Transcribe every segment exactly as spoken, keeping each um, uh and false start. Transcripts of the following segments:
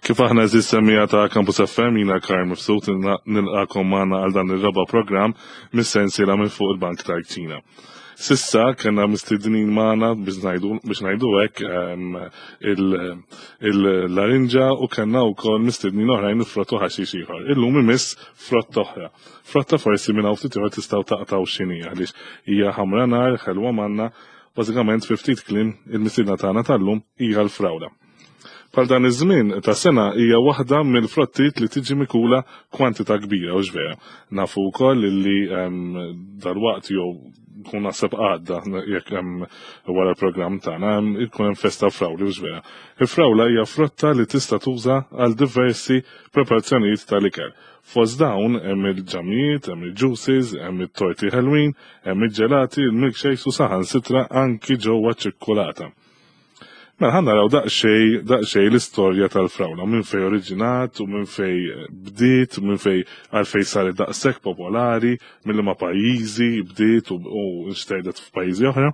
Kif aħna eżis semmija ta' Campus F M, jina Karl Mifsud, nilqakom magħna għal dan ir-raba' programm mis-sensiela minn fuq il-Bank tal-Kċina. Sissa kena mistednin magħna biex ngħidu, biex ngħidu hekk, ehm, il-, il-larinġa u kellna wkoll mistednin oħrajn frott u ħaxix ieħor. Illum imiss frott oħra. Frotta forsi minn hawn ftit ieħor tistgħu taqtgħu x'inhi għaliex hija ħamra nar, ħelwa manna, bażikament fi ftit kliem il-mistiedna tagħna tal-lum hija l-frawla. Bħal dan iż-żmien ta' sena hija waħda mill-frottiet li tiġi mikula kwantità kbira, u vera. Nafu wkoll li, ehm, dalwaqt jew kun naħseb għadda jekk hemm wara l-programm tagħna, hemm, ikun hemm festa frawli, u vera. Il-frawla hija frotta li tista' tuża għal diversi preparazzjonijiet tal-ikel. Fost dawn hemm il-ġamijiet, hemm il-juices, hemm it-torti ħelwin, hemm il-ġelati, il-milkshakes u saħansitra anki ġewwa ċikkulata. Mela ħa naraw daqsxejn, daqsxejn l-istorja tal-frawla, minn fej oriġinat u minn fej bdiet, minn fej għalfej saret daqshekk popolari, minn liema pajjiżi bdiet u, u nxterdet f'pajjiżi oħra.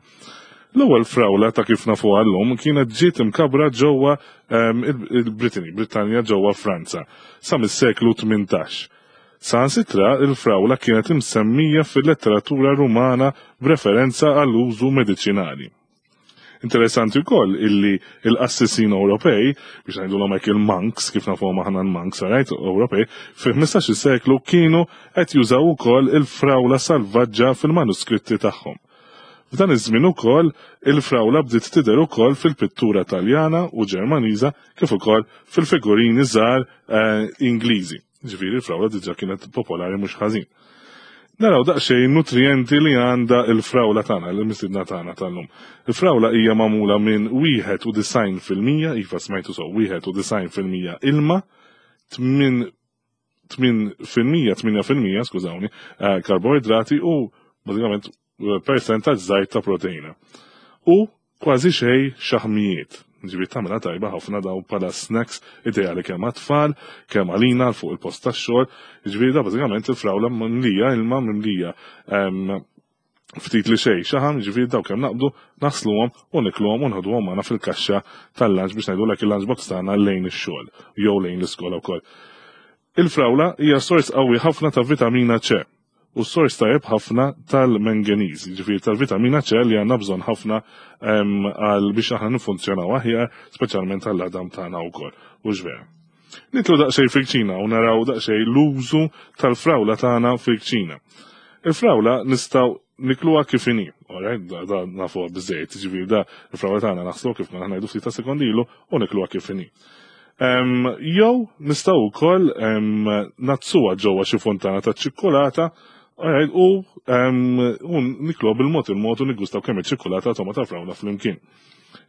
L-ewwel frawla ta' kif nafuha llum kienet ġiet imkabra ġewwa, ehm, il-, il-Brittany, Brittanja ġewwa Franza, sa mis-seklu tmintax. Saħansitra il-frawla kienet imsemmija fil-letteratura Rumana b'referenza għall-użu mediċinali. Interessanti wkoll illi il-qassisin Ewropej, biex ngħidulhom hekk il-monks, kif nafuhom aħna l-monks, right, Ewropej, fi ħmistax-il seklu kienu qed jużaw ukoll il-frawla salvaġġa fil-manuskritti tagħhom. F'dan iż-żmien ukoll il-frawla bdiet tidher ukoll fil-pittura Taljana u Ġermaniża kif ukoll fil-figurini żgħar, eh, Ingliżi. Ġifieri l-frawla diġà kienet popolari mhux ħażin. Naraw daqsxejn nutrienti li għandha il-frawla tagħna, l-mistiedna tagħna tal-lum. Il-frawla hija magħmula minn wieħed u disgħin fil-mija, iva smajtu sew, wieħed u disgħin fil-mija ilma, tmin, tmin fil-mija, tminja fil-mija, skużawni, eh, karboidrati u bażikament, eh, percentaġġ żgħir ta' proteina. U kważi xejn xaħmijiet. Ġifieri tagħmilha tajba ħafna daw bħala snacks ideali kemm għat-tfal, kemm għalina fuq il-post tax-xogħol. Ġifieri da bażikament il-frawla mimlija ilma, mimlija, ehm, ftit li xejn xaħam, ġifieri daw kemm naqbdu naħsluhom u nikluhom u nħoduhom magħna fil-kaxxa tal-lunch biex ngħidulek il-lunch box tagħna lejn ix-xogħol jew lejn l-iskola wkoll. Il-frawla hija sors qawwi ħafna ta' vitamina C u sors tajjeb ħafna tal-manganiż, ġifieri tal-vitamina C li għandna bżonn ħafna, ehm, għal biex aħna nifunzjonaw aħjar, speċjalment għall-għadam tagħna wkoll. U x'vera. Nitlu daqsxejn fil-kċina u naraw daqsxejn l-użu tal-frawla tagħna fil-kċina. Il-frawla nistgħu nikluha kif inhi, all right? Da, da nafuha biżejjed, ġifieri da il-frawla tagħna naħslu kif konna ngħidu ftit ta' sekondi ilu u nikluha kif inhi. Ehm, jew nistgħu wkoll, ehm, nazzuha ġewwa xi fontana ta' ċikkulata, all right, u, ehm, u nikluha bil-mod il-mod u niggustaw kemm iċ-ċikkulata toma ta' frawla flimkien.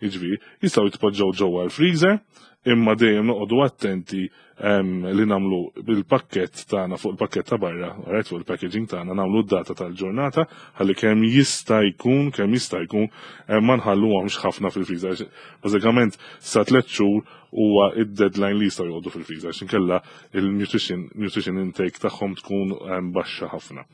Jiġifieri, jistgħu jitpoġġew ġewwa l-freezer, imma dejjem noqogħdu attenti, ehm, li nagħmlu bil-pakkett tagħna fuq il-pakkett ta' barra, all right, fuq il-packaging tagħna nagħmlu d-data tal-ġurnata ħalli kemm jista' jkun, kemm jista' jkun, ehm, ma nħalluhomx ħafna fil-freezer. Bażikament sa tliet xhur huwa id-deadline li jistgħu joqogħdu fil-freezer, għax inkella il-nutrition, nutrition intake tagħhom tkun, ehm, baxxa ħafna.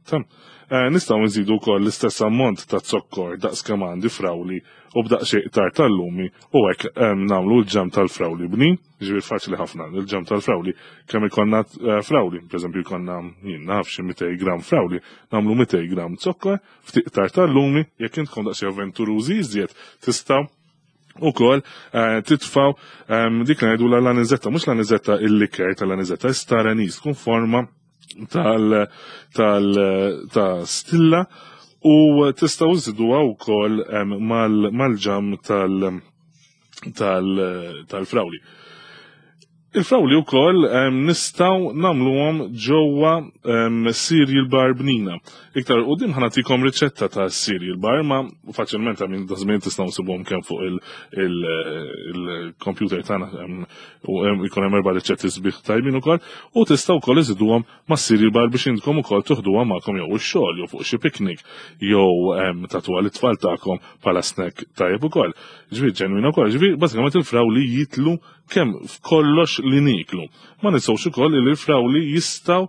Tam, eh, nistgħu nżidu wkoll l-istess ammont ta' zokkor daqs kemm għandi frawli u b'daqsxejn iktar tal-lumi u hekk, ehm, nagħmlu l-ġam tal-frawli bnin, ġifieri faċli ħafna il-ġam tal-frawli, kemm ikollna, eh, frawli, pereżempju jkollna jien naf xi mitej gram frawli, nagħmlu mitej gram zokkor, ftit iktar tal-lumi, jekk intkom daqsxejn avventurużi iżjed tistgħu ukoll, eh, titfaw, ehm, dik li ngħidu l-anizetta, mhux l-anizetta il-liker tal-anizetta, star anise, tkun forma tal, tal, ta' stilla u tistgħu żiduha wkoll, ehm, mal-, mal-ġam tal, tal, tal-frawli. Il-frawli wkoll, ehm, nistgħu nagħmluhom ġewwa, ehm, cereal bar bnina. Iktar quddiem ħa nagħtikom riċetta ta' cereal bar, ma faċilment minn da żmien tistgħu nsibuhom kemm fuq il-, il-, il-computer tagħna, ehm, u hemm ikun hemm erba' riċetti sbieħ tajbin ukoll, u tistgħu wkoll iżiduhom ma' cereal bar biex intkom ukoll tuħduha magħkom jew ix-xogħol jew fuq xi picnic jew, ehm, tagħtuha lit-tfal tagħkom bħala snack tajjeb ukoll. Ġifieri ġenwina wkoll, ġifieri bażikament il-frawli jitlu kemm f'kollox li niklu. Ma ninsewx ukoll li l-frawli jistgħu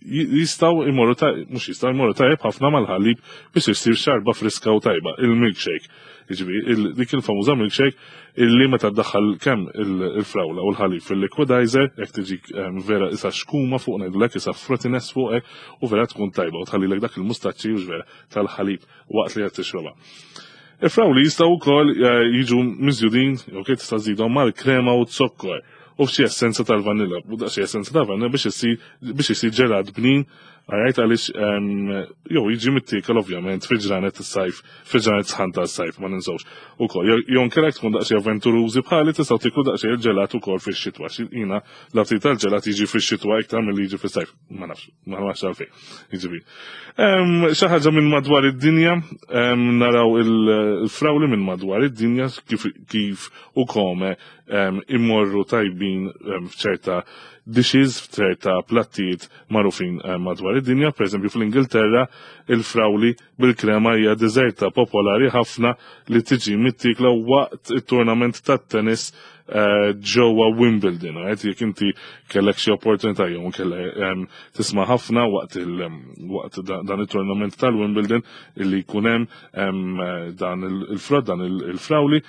jistgħu imorru mhux jistgħu imorru tajjeb ħafna mal-ħalib biex isir xarba friska u tajba, il-milkshake. Jiġifieri dik il-famuża milkshake illi meta ddaħħal kemm il-frawla u l-ħalib fil-liquidizer, jekk tiġik vera isa xkuma fuq ngħidulek isa frottiness fuqek u vera tkun tajba u tħallilek dak il-mustaċċi u vera tal-ħalib waqt li qed tixrobha. Il-frawli jistgħu wkoll jiġu miżjudin, ok, tista' żidhom mal-krema u z-zokkor u f'xi essenza tal-vanilla, u daqsxi essenza tal-vanilla biex isir biex isir ġelat bnin, għarajt għaliex jew jiġi mittiekel ovvjament fi ġranet is-sajf, fi ġranet sħan tas-sajf ma ninsewx. Ukoll jew inkella tkun daqsxejn avventurużi bħali tistgħu tieklu daqsxejn il-ġelat ukoll fix-xitwa. Jiena l-aptit tal-ġelat jiġi fix-xitwa iktar milli jiġi fis-sajf. Ma nafx, ma nafx għalfejn. Jiġifieri. Xi ħaġa minn madwar id-dinja, naraw il-frawli minn madwar id-dinja kif kif u kome immorru tajbin f'ċerta dishes, f'ċerta plattijiet magħrufin madwar id-dinja. Per eżempju fl-Ingilterra il-frawli bil-krema hija deżerta popolari ħafna li tiġi mittikla waqt it-tournament tat-tennis ġewwa Wimbledon. Right? Jekk inti kellek xi opportunità jew kellek tisma' ħafna waqt waqt dan it-tournament tal-Wimbledon illi jkun hemm dan il-frod, dan il-frawli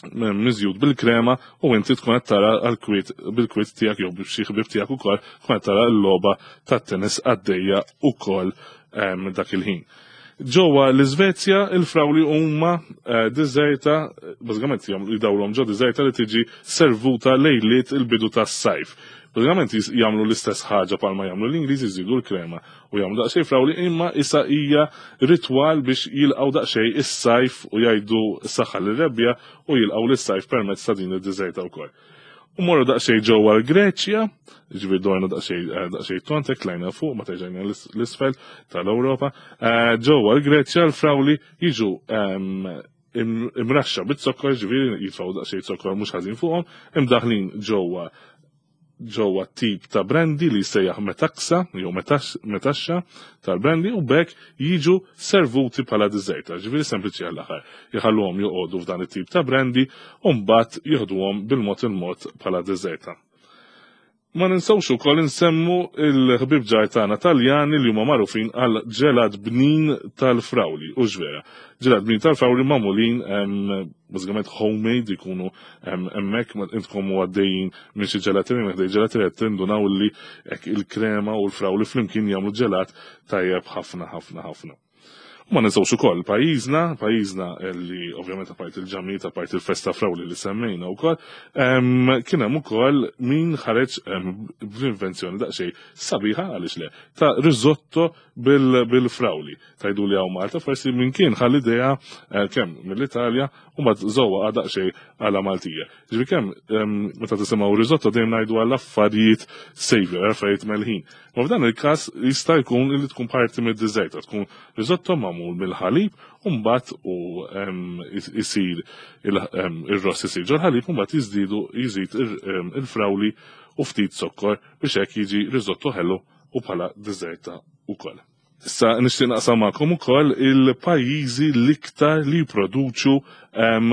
miżjud bil-krema u inti tkun qed tara għall-kwiet bil-kwiet tiegħek jew b'xi ħbieb tiegħek ukoll tkun qed tara l-logħba tat-tennis għaddejja ukoll dak il-ħin. Ġewwa l-Iżvezja il-frawli huma deżerta, bażikament jdawlhom ġo deżerta li tiġi servuta lejliet il-bidu tas-sajf. Bażikament jagħmlu l-istess ħaġa bħalma jagħmlu l-Ingliżi, jżidu l-krema u jagħmlu daqsxejn frawli, imma issa hija ritwal biex jilqgħu daqsxejn is-sajf u jgħidu s-saħħa lir-rebbja u jilqgħu lis-sajf permezz ta' din id-deżerta wkoll. U morru daqsxejn ġewwa l-Greċja, ġifieri dorna daqsxejn daqsxejn tontek tlajna fuq ma terġajna l-isfel tal-Ewropa. Ġewwa l-Greċja l-frawli jiġu imraxxa bit-zokkor, ġifieri jitfgħu daqsxejn zokkor mhux ħażin fuqhom, imdaħlin ġewwa ġewwa tip ta' brandy li jsejjaħ metaksa jew metaxxa tal-brandy u bekk jiġu servuti bħala deżerta, ġifieri sempliċi għall-aħħar. Jħalluhom joqogħdu f'dan it-tip ta' brandy u mbagħad jieħduhom bil-mod il-mod bħala deżerta. Ma ninsewx ukoll insemmu il-ħbieb ġar tagħna Taljani li huma magħrufin għal ġelat bnin tal-frawli, u x'vera. Ġelat bnin tal-frawli magħmulin bażikament homemade, jkunu hemmhekk intkom għaddejjin minn xi ġelaterija, minn ħdej ġelaterija tindunaw li hekk il-krema u l-frawli flimkien jagħmlu ġelat tajjeb ħafna ħafna ħafna. U ma ninsewx ukoll pajjiżna, pajjiżna li ovvjament apart il-ġamijiet, apart il-festa frawli li semmejna wkoll, kien hemm ukoll min ħareġ bl-invenzjoni daqsxejn sabiħa għaliex le, ta' risotto bil-frawli. Tajdu li hawn Malta, forsi min kien ħa l-idea kemm mill-Italja u mbagħad żewwa daqsxejn għala Maltija. Ġifieri kemm meta tisimgħu risotto dejjem ngħidu għal affarijiet savory, affarijiet melħin. Ma f'dan il-każ jista' jkun li tkun parti mid-deżerta, tkun risotto magħmul mill-ħalib u mbagħad u isir ir-ross isir ġol-ħalib u mbagħad jiżdiedu jżid il-frawli u ftit zokkor biex hekk jiġi risotto ħelu u bħala deżerta wkoll. Issa nixtieq naqsam magħkom ukoll il-pajjiżi l-iktar li jipproduċu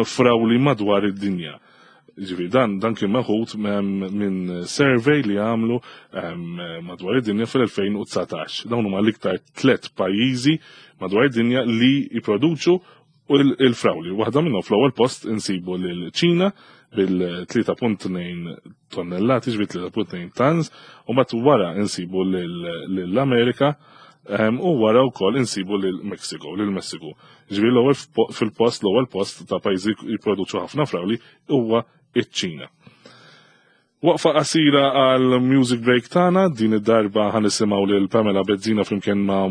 frawli madwar id-dinja. Ġifieri dan, dan kien meħud minn survey li għamlu madwar id-dinja fil-elfejn u dsatax. Dawn huma l-iktar tliet pajjiżi madwar id-dinja li jipproduċu il-frawli. Waħda minnhom fl-ewwel post insibu lil Ċina bil-tlieta punt tnejn tonnellati, ġifieri tlieta punt tnejn tons, u mbagħad wara insibu lill-Amerika u wara wkoll insibu lil Mexico, lil Messiku. Ġifieri l-ewwel fil-post, l-ewwel post ta' pajjiżi jipproduċu ħafna frawli huwa iċ-Ċina. Waqfa qasira għal music break tagħna, din id-darba ħanisimgħu lil Pamela Bezzina flimkien ma'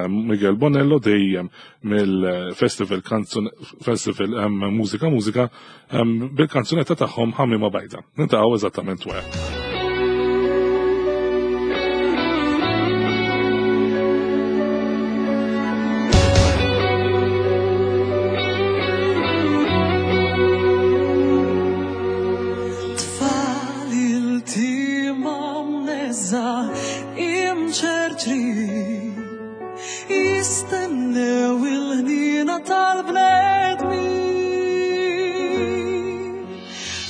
Miguel Bonello dejjem mill-Festival Kanzun, Festival Mużika Mużika bil-kanzunetta tagħhom Ħamima Bajda. Nintaqgħu eżattament wara. Jistennew il-ħnina tal-bnedmin.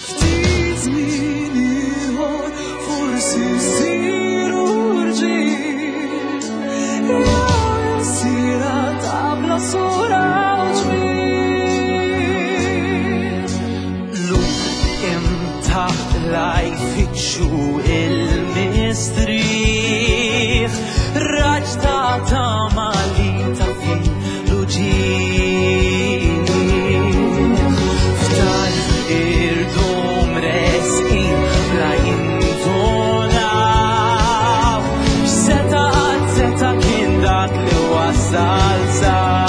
Ftit Taqla jfittxu il-mistrieħ, raġ ta' tama li ta' fil-uġigħ. F'tal irdum resqin bla jindunaw x'seta' qatt seta' kien dak li wasal saw.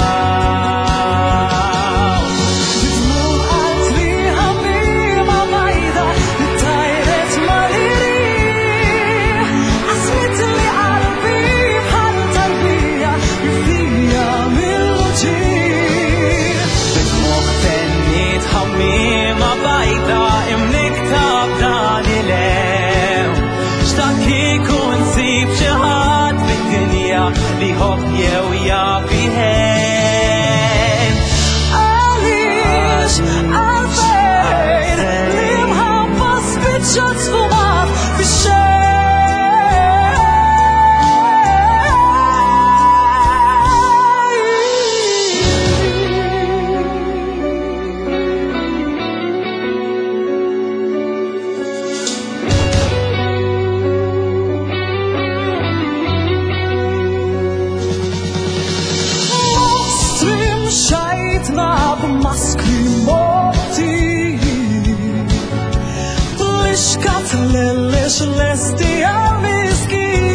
Dmugħ qalbi ħamiema bajda li tajret mal-irieħ, qasmitli qalbi bħal tarbija mifnija mill-uġigħ. Bid-dmugħ tenniet ħamiema bajda imnikta b'dan il-hemm. X'dak kieku nsib xi ħadd fid-dinja li jħobb jew jaf iħenn. Għaliex, għalfejn, l-imħabba spiċċat sfumat fix-xejn. Mostri mxajtna b'maskri motti, Blixkat lillix lesti għal-miskin.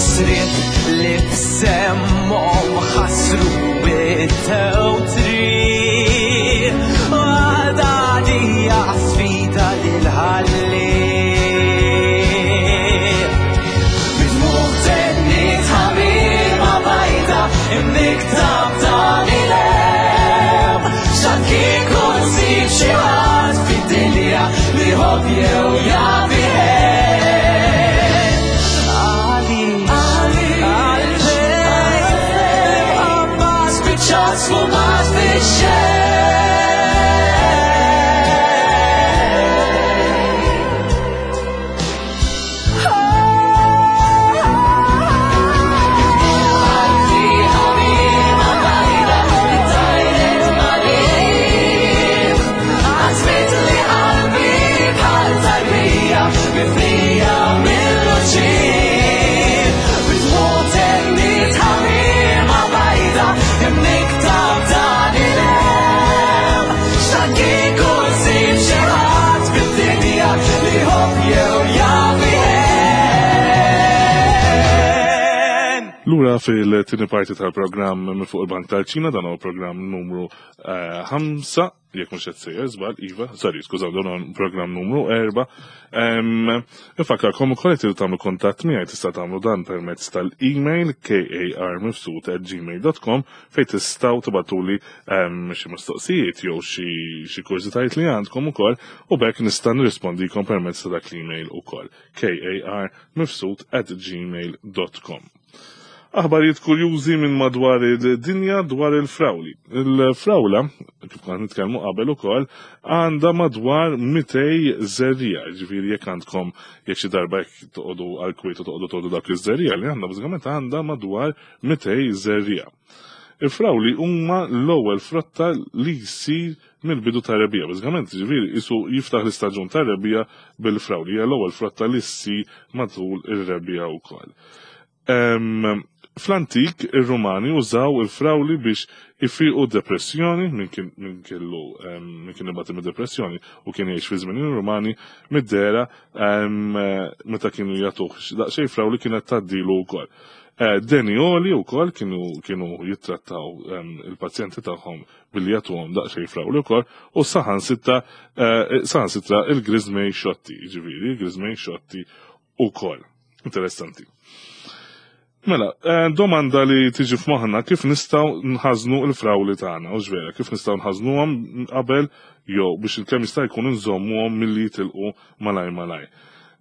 Sriet li b'semmhom ħasru bit-tewtri, Għadadija sfida lil-ħalli. Bid-dmugħ tenniet ħamiema bajda imnikta b'dan il-hemm. X'għad kieku nsib xi ħadd fid-dinja li jħobb jew jaf iħenn. Għaliex, għalfejn, l-imħabba spiċċat sfumat fix-xejn. Qalbi ħamiema bajda li tajret mal-irieħ, qasmitli qalbi bħal tarbija mifnija mill-uġigħ. Bid-dmugħ tenniet ħamiema bajda imnikta b'dan il-hemm. X'għad kieku nsib xi ħadd fid-dinja li jħobb jew jaf iħenn. Lura fil-tieni parti tal-programm minn fuq il-Bank tal-Ċina, dan huwa programm numru ħamsa, jekk mhux qed sejjer żball, iva, sorry, skużaw, dan huwa programm numru erba'. Infakkarkom ukoll qed tagħmlu kuntatt miegħi, tista' tagħmlu dan permezz tal-email karmifsud at gmail dot com fejn tistgħu tibgħatuli xi mistoqsijiet jew xi kurżitajiet li għandkom ukoll u b'hekk nista' nirrispondikom permezz ta' dak l-email ukoll karmifsud at gmail dot com. Aħbarijiet kurjużi minn madwar il-dinja dwar il-frawli. Il-frawla, kif konna nitkellmu qabel ukoll, għandha madwar mitej żerriegħa. Ġifieri jekk għandkom, jekk xi darba jekk toqogħdu għal kwiet u toqogħdu toqogħdu dak iż-żerriegħa li għandha, bażikament għandha madwar mitej żerriegħa. Il-frawli huma l-ewwel frotta li jsir mill-bidu tar-rebbiegħa. Bażikament, ġifieri isu jiftaħ l-istaġun tar-rebbiegħa bil-frawli, hija l-ewwel frotta li ssir matul ir-rebbiegħa wkoll. Em, Fl-antik, ir-Rumani użaw il-frawli biex ifiqu depressjoni, min kien, min kellu, em, min kien ibati mid depressjoni u kien jgħix fi żmien ir-Rumani, mid-dehra, em, meta kienu jagħtuh daqsxejn frawli kienet tgħaddilu wkoll. Eh, Deni oli wkoll kienu, kienu jittrattaw, em, il-pazjenti tagħhom billi jagħtuhom daqsxejn frawli wkoll, u saħansitra, eh, saħansitra il-griżmej xotti, jiġifieri il-griżmej xotti wkoll. Interessanti. Mela, eh, domanda li tiġi f'moħħna, kif nistgħu nħażnu l-frawli tagħna, u ġvera, kif nistgħu nħażnuhom qabel jew biex kemm jista' jkun nżommuhom milli jitilqu malaj malaj.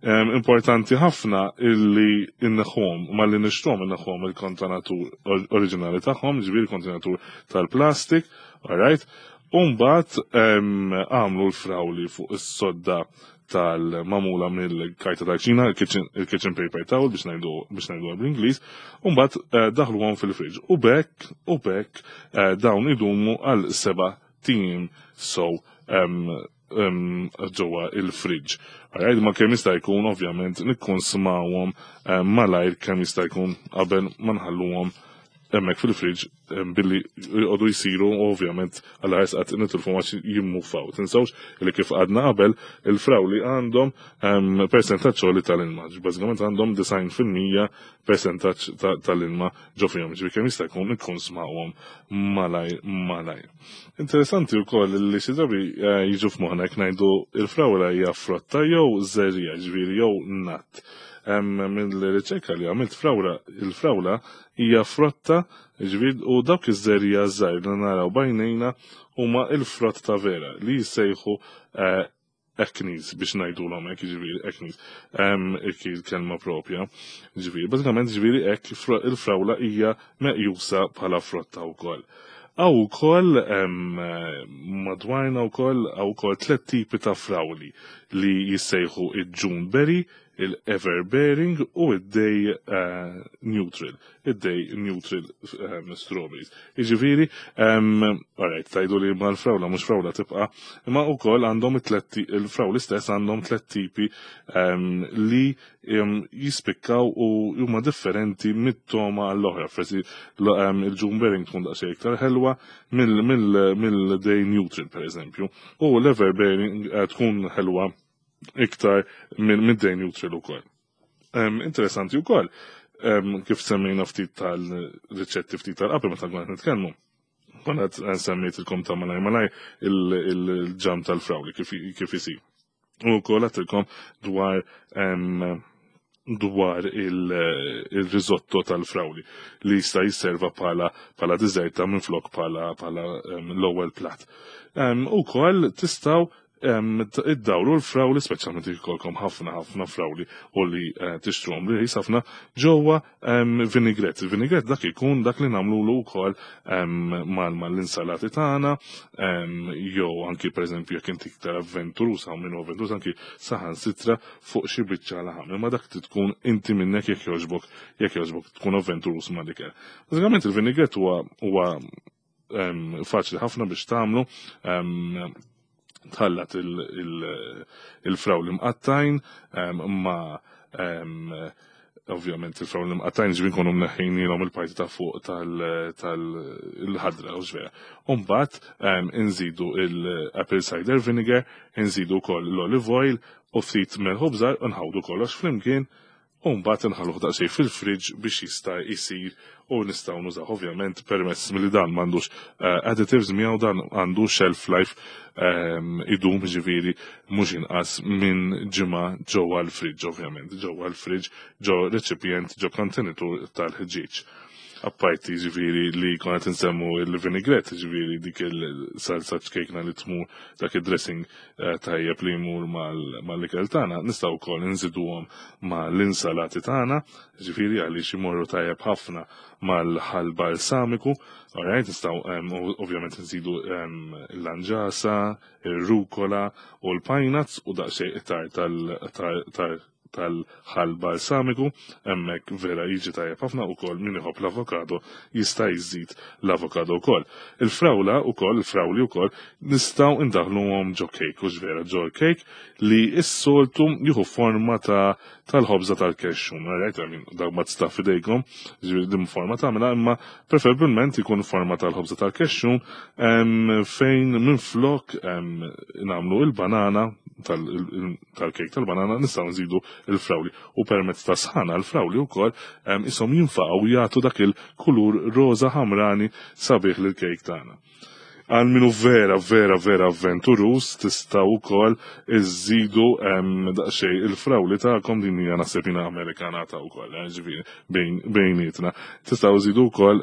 Em, importanti ħafna illi inneħħuhom, malli nixtruhom inneħħuhom il-kontenatur or-, oriġinali tagħhom, ġifieri kontenatur tal-plastik, all right? U mbagħad, em, għamlu l-frawli fuq is-sodda tal-mamula mill-karta tal-kċina, il-kitchen, il-kitchen paper towel biex ngħidu, biex ngħidu bl-Ingliż, u mbagħad, eh, daħluhom fil-friġġ. U bekk, u bekk, eh, dawn idumu għal seba' sim so ġewwa il-fridge. Alright, ma kemm jista' jkun ovvjament nikkonsmawhom malajr kemm jista' jkun qabel ma nħalluhom hemmhekk fil-fridge billi jqogħdu jsiru, ovvjament għal ħares nitilfu għax jimmufaw. Tinsawx li kif għadna qabel, il-frawli għandhom persentaġġ li tal-ilma. Bażikament għandhom disgħin fil-mija persentaġġ tal-ilma ġo fihom. Ġifieri kemm jista' jkun ikkonsmawhom malajr malajr. Interessanti wkoll li xi drabi eh, jiġu f'moħħna jekk ngħidu il-frawla hija frotta jew żerriegħa, ġifieri jew nut. Mill-riċerka li għamilt, frawla il-frawla hija frotta, ġifieri, u dawk iż-żerriegħa żgħir li naraw b'għajnejna huma il-frott ta' vera li jissejħu eh, achenes, biex ngħidulhom hekk, ġifieri achenes, il-kelma propja. Ġifieri, bażikament, ġifieri hekk il-frawla hija meqjusa bħala frotta wkoll. Hawn ukoll madwarna wkoll hawn ukoll tliet tipi ta' frawli li jissejħu il-Juneberry, il-Everbearing u id-Day uh, Neutral, id-Day Neutral um, strawberries. Iġifieri, um, alright, tgħidu li ma l-frawla mhux frawla tibqa', imma wkoll għandhom il-frawli stess għandhom tliet tipi um, li um, jispikkaw u huma differenti mit-toma għall-oħra. Forsi um, il-Juneberry tkun daqsxejn iktar ħelwa mill-Day Neutral, per eżempju, u l-Everbearing uh, tkun ħelwa iktar minn Day Neutral ukoll. Interessanti wkoll, kif semmejna ftit tal-riċetti ftit tal-qabel meta konna nitkellmu. Konna semmejtilkom ta' malaj malaj il-ġam tal-frawli kif isir. U wkoll għedtilkom dwar dwar il-risotto tal-frawli li jista' jisserva bħala bħala diżerta minn flok bħala bħala l-ewwel plat. U wkoll tistgħu iddawru l-frawli, speċjalment jkollkom ħafna ħafna frawli u li eh, tixtruhom li ħafna, ġewwa vinaigrette. Il-vinaigrette dak ikun dak li nagħmlu wkoll mal-insalati tagħna, jew anki, pereżempju, jekk inti iktar avventurus, hawn min avventurus, anki saħansitra fuq xi biċċa laħam. Imma dak tkun inti minnek jekk jogħġbok jekk jogħġbok tkun avventurus ma' dik. Bażikament il-vinaigrette huwa huwa faċli ħafna biex tagħmlu: tħallat il-frawli mqattgħin ma ovvjament il-frawli mqattgħin, ġifieri nkunu mneħħinilhom il-parti ta' fuq tal-ħadra u ġvera. Umbagħad inżidu il-apple cider vinegar, inżidu wkoll l-olive oil u ftit melħ u bżar, nħawdu kollox flimkien u mbagħad inħalluh daqsxejn fil-fridge biex jista' jsir u nistgħu nużaw. Ovvjament, permess milli dan m'għandux eh, additives miegħu, dan għandu shelf life, ehm, idum ġifieri mhux inqas minn ġimgħa ġewwa l-fridge, ovvjament ġewwa l-fridge, ġo reċipjent, ġo kontenitur tal-ħġieġ. Apparti ġifieri li konna nsemmu il-vinaigrette, ġifieri dik il-salsa ċkejkna li tmur, dak il-dressing eh, tajjeb li jmur mal-ikel tagħna, nistgħu wkoll nżiduhom mal-insalati tagħna, ġifieri għaliex imorru tajjeb ħafna mal-ħall balsamiku, alright, nistgħu ovvjament nżidu l-lanġasa, il-rukola u l-pine nuts u daqsxejn iktar tal tal-ħall balsamiku, hemmhekk vera jiġi tajjeb ħafna. Ukoll min iħobb l-avokado jista' jżid l-avokado wkoll. Il-frawla ukoll, il-frawli wkoll nistgħu indaħluhom ġo cake, u vera ġo cake li s-soltu jieħu forma ta' tal-ħobża tal-kexxun, right? I mean, dak ma tista' fidejkom, ġifieri din forma tagħmilha, imma preferibilment ikun forma tal-ħobża tal-kexxun fejn minn flok nagħmlu il-banana tal-kejk tal-banana nistgħu nżidu il-frawli u permezz ta' sħana l-frawli wkoll isom jinfaqgħu, jagħtu dak il-kulur roża ħamrani sabiħ lil kejk tagħna. Għal minu vera, vera, vera avventurus, tistgħu wkoll iżidu daqsxejn il-frawli tagħkom, din hija naħseb jiena Amerikanata wkoll, eh, ġifieri bejnietna. Tistgħu żidu wkoll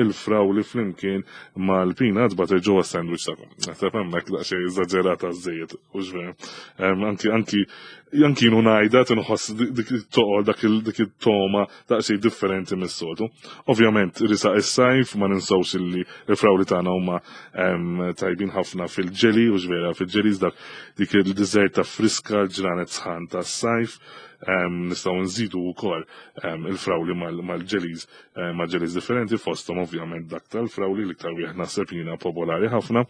il-frawli flimkien mal-peanut butter ġewwa sandwich tagħkom. Naħseb hemmhekk daqsxejn eżaġerata żejjed, u ġvera. Anki anki anki jienu ngħidha tinħoss dik it-toqol, dak it-toma daqsxejn differenti mis-soltu. Ovvjament risa is-sajf, ma ninsawx illi il-frawli tagħna huma tajbin ħafna fil-ġeli, u ġvera fil-ġeli dak dik il-dessert ta' friska ġranet sħan ta' sajf. Nistgħu nżidu wkoll il-frawli mal-ġelis, mal-ġelis differenti, fosthom ovvjament dak tal-frawli, l-iktar wieħed naħseb jiena popolari ħafna.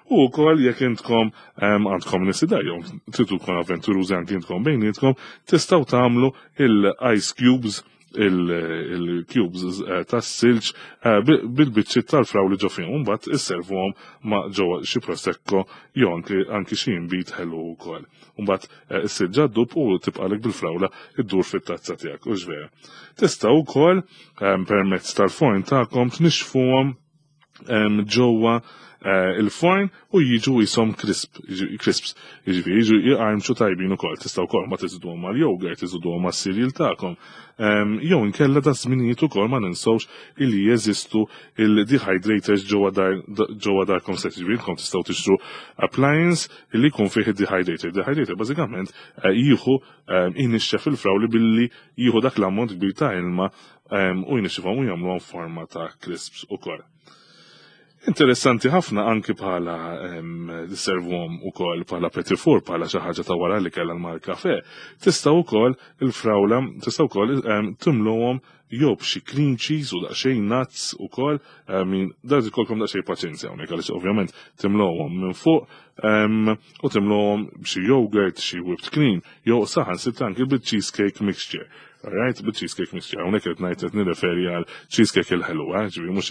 U wkoll jekk intkom għandkom nies id-dar jew tridu tkun avventurużi anki intkom bejnietkom, tistgħu tagħmlu il-ice cubes, il-cubes eh, tas-silġ eh, bil-biċċiet tal-frawli ġo fihom, mbagħad isservuhom ma' ġewwa xi prosecco jew anki xi inbid ħelu wkoll. Mbagħad eh, is-silġa ddub u tibqalek bil-frawla iddur fit-tazza tiegħek, u vera. Tistgħu wkoll permezz tal-forn tagħkom tnixxfuhom ġewwa il-forn u jiġu jisom crisp, crisps, jiġifieri jiġu jqarmxu tajbin ukoll. Tistgħu wkoll ma tiżiduhom mal-yogurt, tiżiduhom mas-cereal tagħkom. Jew inkella da żminijiet ukoll ma ninsewx illi jeżistu il-dehydrators ġewwa darkom stess, jiġifieri intom tistgħu tixtru appliance illi jkun fih id-dehydrator. Dehydrator bażikament jieħu inixxef il-frawli billi jieħu dak l-ammont kbir ta' ilma u jnixxifhom u jagħmluhom forma ta' crisps ukoll. Interessanti ħafna anki bħala servuhom ukoll bħala petit four, bħala xi ħaġa ta' wara li kellha mal-kafe. Tista' wkoll il-frawla, tista' wkoll timluhom jew b'xi cream cheese u daqsxejn nuts ukoll, min dar ikolkom daqsxejn paċenzja hawnhekk għaliex ovvjament timluhom minn fuq u timluhom b'xi yogurt, xi whipped cream, jew saħansitra anki bil-cheesecake mixture. Alright, bil-cheesecake mixture, hawnhekk qed ngħid qed nirreferi għal cheesecake il-ħelu, eh, ġifieri mhux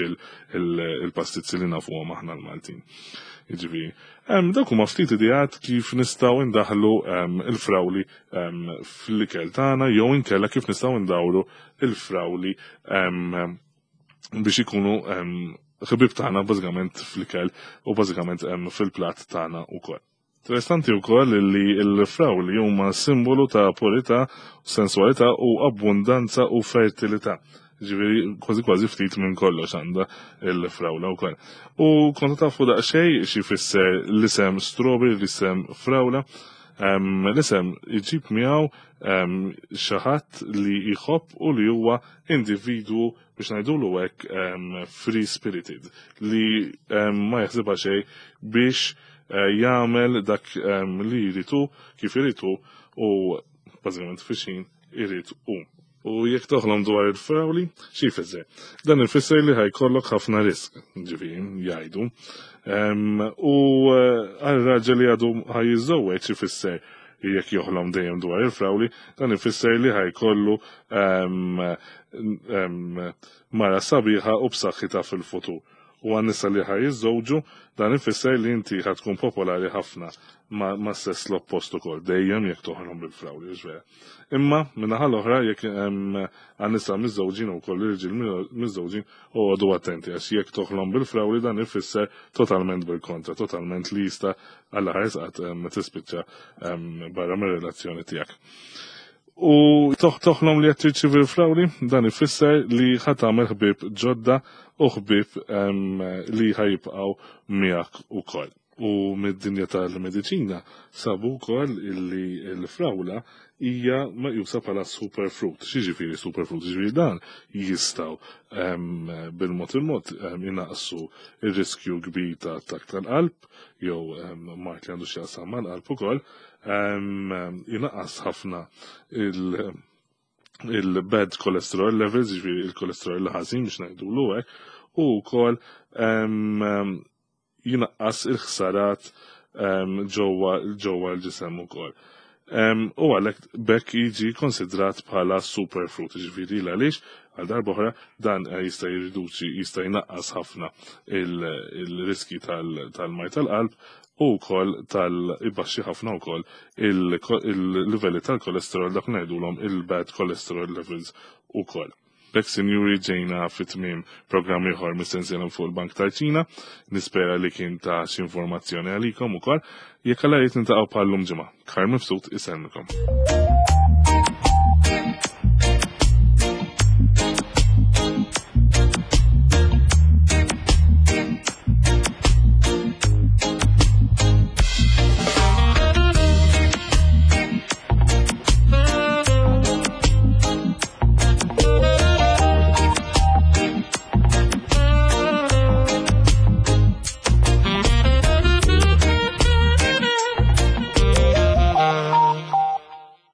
il-pastizzi li nafuhom aħna l-Maltin. Ġifieri, dawk huma ftit ideat kif nistgħu ndaħlu il-frawli fl-ikel tagħna jew inkella kif nistgħu ndawru il-frawli biex ikunu ħbieb tagħna bażikament fl-ikel u bażikament fil-platt tagħna wkoll. Interessanti wkoll li l-frawli huma simbolu ta' purità, sensualità u abbundanza u fertilità. Ġifieri kważi kważi ftit minn kollox għandha il-frawla wkoll. U kontu tafu daqsxejn xi jfisser l-isem strawberry, l-isem frawla. L-isem iġib miegħu xi ħadd li jħobb u li huwa individwu biex ngħidulu hekk free spirited li ma jaħsibha xejn biex jagħmel dak li jridu kif iridu u bażikament fixin irid hu. U jekk toħlom dwar il-frawli, xi jfisser? Dan ifisser li ħajkollok ħafna risk, ġifieri jgħidu. U għal raġel li għadu ħa jiżżewweġ ifisser jekk joħlom dejjem dwar il-frawli, dan ifisser li ħajkollu mara sabiħa u b'saħħitha fil-futur. U għan-nisa li ħa jiżżewġu, dan ifisser li inti ħa tkun popolari ħafna ma' sess l-oppost ukoll, dejjem jekk toħlom bil-frawli, vera. Imma min-naħa l-oħra jekk għan-nisa miżżewġin u koll irġiel miżżewġin u għodu attenti għax jekk toħlom bil-frawli dan ifisser totalment bil-kontra, totalment li jista' għalla ħares qatt tispiċċa barra mir-relazzjoni tiegħek. U toħlom li qed tirċievi l-frawli, dan ifisser li ħa tagħmel ħbieb ġodda u ħbieb li ħajibqgħu miegħek ukoll. U mid-dinja tal-mediċina sabu wkoll illi l-frawla hija meqjusa bħala superfruit. X'jiġifieri superfruit? Jiġifieri dan jistgħu bil-mod il-mod inaqqsu ir-riskju kbir ta' attakk tal-qalb jew mard li għandu x'jaqsam mal-qalb ukoll, inaqqas ħafna il-bad cholesterol levels, jiġifieri il-cholesterol ħażin biex ngħidulu hekk, u wkoll jinaqqas il-ħsarat ġewwa ġewwa l-ġisem ukoll. U għalhekk bekk jiġi konsidrat bħala superfruit, ġifieri għaliex għal darba oħra dan jista' jirriduċi, jista' jnaqqas ħafna il-riski tal-mard tal-qalb u wkoll tal-ibaxxi ħafna wkoll il-livelli tal-kolesterol, dak ngħidulhom il-bad cholesterol levels ukoll. B'hekk, sinjuri, ġejna fit-tmiem programm ieħor mis-sensiela fuq il-Bank tal-Ċina. Nispera li kien ta' xi informazzjoni għalikom ukoll. Jekk Alla jrid niltaqgħu bħal-lum ġimgħa. Karl Mifsud isellmikom.